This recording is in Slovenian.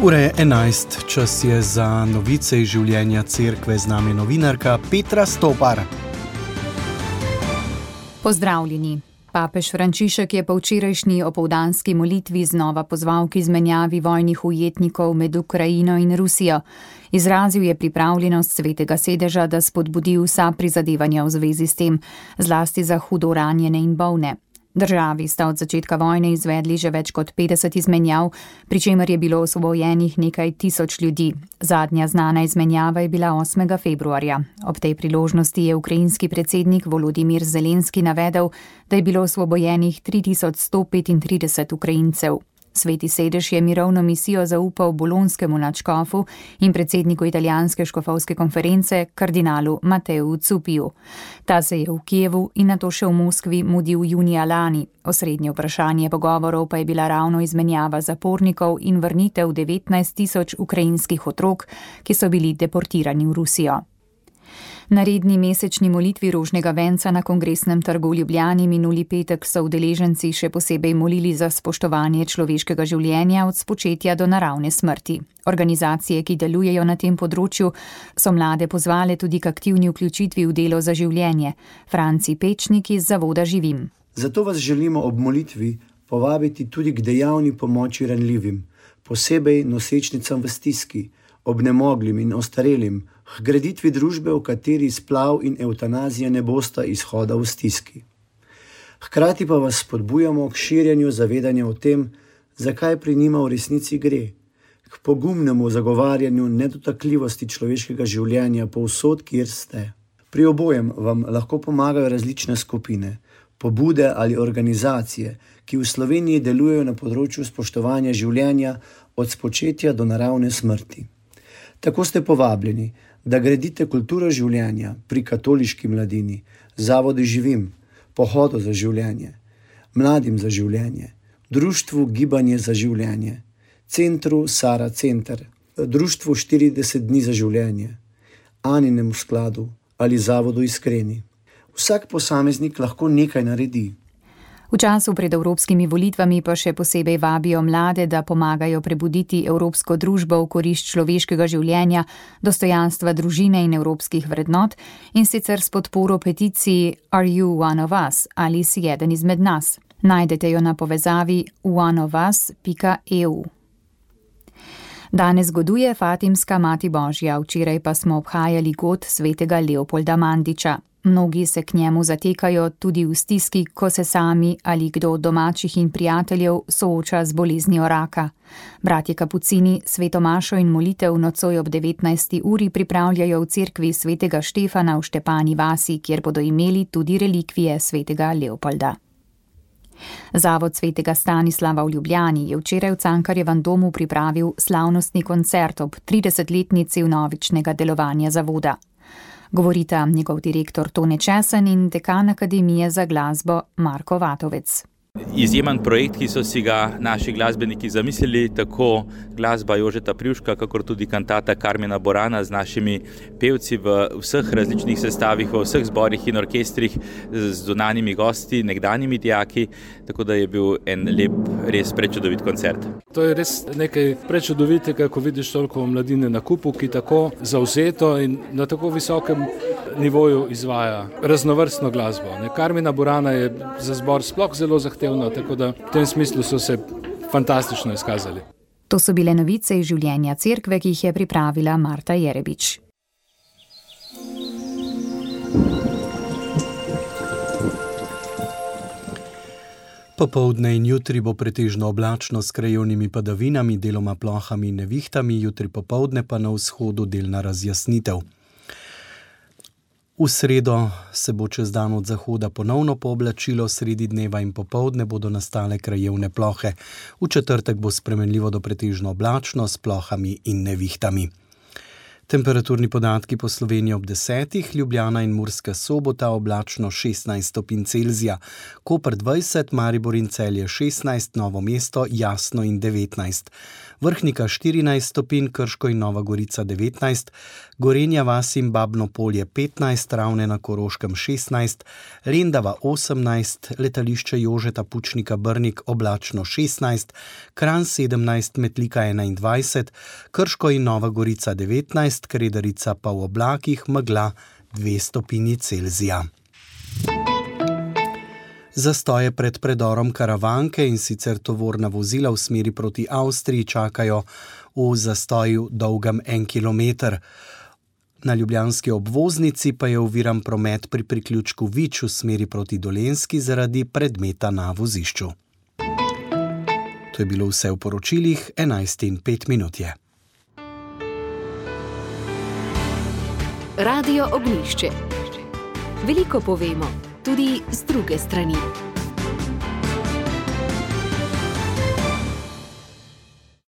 Ura je 11, čas je za novice iz življenja cerkve, z nami novinarka Petra Stopar. Pozdravljeni. Papež Frančišek je po včerajšnji opoldanski molitvi znova pozval k izmenjavi vojnih ujetnikov med Ukrajino in Rusijo. Izrazil je pripravljenost Svetega sedeža, da spodbudi vsa prizadevanja v zvezi s tem, zlasti za hudo ranjene in bolne. Državi sta od začetka vojne izvedli že več kot 50 izmenjav, pri čemer je bilo osvobojenih nekaj tisoč ljudi. Zadnja znana izmenjava je bila 8. februarja. Ob tej priložnosti je ukrajinski predsednik Volodimir Zelenski navedel, da je bilo osvobojenih 3135 Ukrajincev. Sveti sedež je mirovno misijo zaupal bolonskemu nadškofu in predsedniku italijanske škofovske konference, kardinalu Mateu Zupiju. Ta se je v Kijevu in nato še v Moskvi mudil junija lani. Osrednje vprašanje pogovorov pa je bila ravno izmenjava zapornikov in vrnitev 19 000 ukrajinskih otrok, ki so bili deportirani v Rusijo. Na redni mesečni molitvi rožnega venca na Kongresnem trgu v Ljubljani minuli petek so udeleženci še posebej molili za spoštovanje človeškega življenja od spočetja do naravne smrti. Organizacije, ki delujejo na tem področju, so mlade pozvale tudi k aktivni vključitvi v delo za življenje. Franci Pečnik iz Zavoda Živim. Zato vas želimo ob molitvi povabiti tudi k dejavni pomoči ranljivim, posebej nosečnicam v stiski, obnemoglim in ostarelim, k graditvi družbe, v kateri splav in evtanazija ne bosta izhoda v stiski. Hkrati pa vas spodbujamo k širjenju zavedanja o tem, zakaj pri njima v resnici gre, k pogumnemu zagovarjanju nedotakljivosti človeškega življenja povsod, kjer ste. Pri obojem vam lahko pomagajo različne skupine, pobude ali organizacije, ki v Sloveniji delujejo na področju spoštovanja življenja od spočetja do naravne smrti. Tako ste povabljeni, da gradite kulturo življenja pri Katoliški mladini, Zavodi Živim, Pohodu za življenje, Mladim za življenje, Društvu Gibanje za življenje, Centru Sara Center, Društvu 40 dni za življenje, Aninem skladu ali Zavodu Iskreni. Vsak posameznik lahko nekaj naredi. V času pred evropskimi volitvami pa še posebej vabijo mlade, da pomagajo prebuditi evropsko družbo v korist človeškega življenja, dostojanstva družine in evropskih vrednot, in sicer s podporo peticiji Are you one of us? Ali si eden izmed nas? Najdete jo na povezavi oneofus.eu. Danes goduje Fatimska Mati Božja, včeraj pa smo obhajali god svetega Leopolda Mandiča. Mnogi se k njemu zatekajo tudi v stiski, ko se sami ali kdo od domačih in prijateljev sooča z boleznijo raka. Bratje kapucini sveto mašo in molitev nocoj ob 19. uri pripravljajo v cerkvi svetega Štefana v Štepani vasi, kjer bodo imeli tudi relikvije svetega Leopolda. Zavod svetega Stanislava v Ljubljani je včeraj v Cankarjevem domu pripravil slavnostni koncert ob 30-letnici vnovičnega delovanja zavoda. Govorita njegov direktor Tone Česen in dekan Akademije za glasbo Marko Vatovec. Izjemen projekt, ki so si ga naši glasbeniki zamislili, tako glasba Jožeta Privška, kakor tudi kantata Karmena Borana z našimi pevci v vseh različnih sestavih, v vseh zborih in orkestrih z zunanjimi gosti, nekdanjimi dijaki, tako da je bil en lep, res prečudovit koncert. To je res nekaj prečudovitega, ko vidiš toliko mladine na kupu, ki tako zavzeto in na tako visokem nivoju izvaja raznovrstno glasbo. Karmena Borana je za zbor sploh zelo zahtevna, tako da v tem smislu so se fantastično izkazali. To so bile novice iz življenja cerkve, ki jih je pripravila Marta Jerebič. Popoldne in jutri bo pretežno oblačno s krajevnimi padavinami, deloma plohami in nevihtami, jutri popoldne pa na vzhodu delna razjasnitev. V sredo se bo čez dan od zahoda ponovno pooblačilo, sredi dneva in popoldne bodo nastale krajevne plohe. V četrtek bo spremenljivo do pretežno oblačno s plohami in nevihtami. Temperaturni podatki po Sloveniji ob 10, Ljubljana in Murska Sobota oblačno 16 stopinj Celzija, Koper 20, Maribor in Celje 16, Novo mesto jasno in 19. Vrhnika 14 stopinj, Krško in Nova Gorica 19, Gorenja vas in Babno Polje 15, Ravne na Koroškem 16, Lendava 18, letališče Jožeta Pučnika Brnik oblačno 16, Kranj 17, Metlika 21, Krško in Nova Gorica 19, Kredarica pa v oblakih, megla 2 stopinji Celzija. Zastoje pred predorom Karavanke in sicer tovorna vozila v smeri proti Avstriji čakajo v zastoju dolgem 1 kilometer. Na ljubljanski obvoznici pa je oviran promet pri priključku Vič v smeri proti Dolenjski zaradi predmeta na vozišču. To je bilo vse v poročilih, 11:05 je. Radio Ognjišče. Veliko povemo, tudi z druge strani.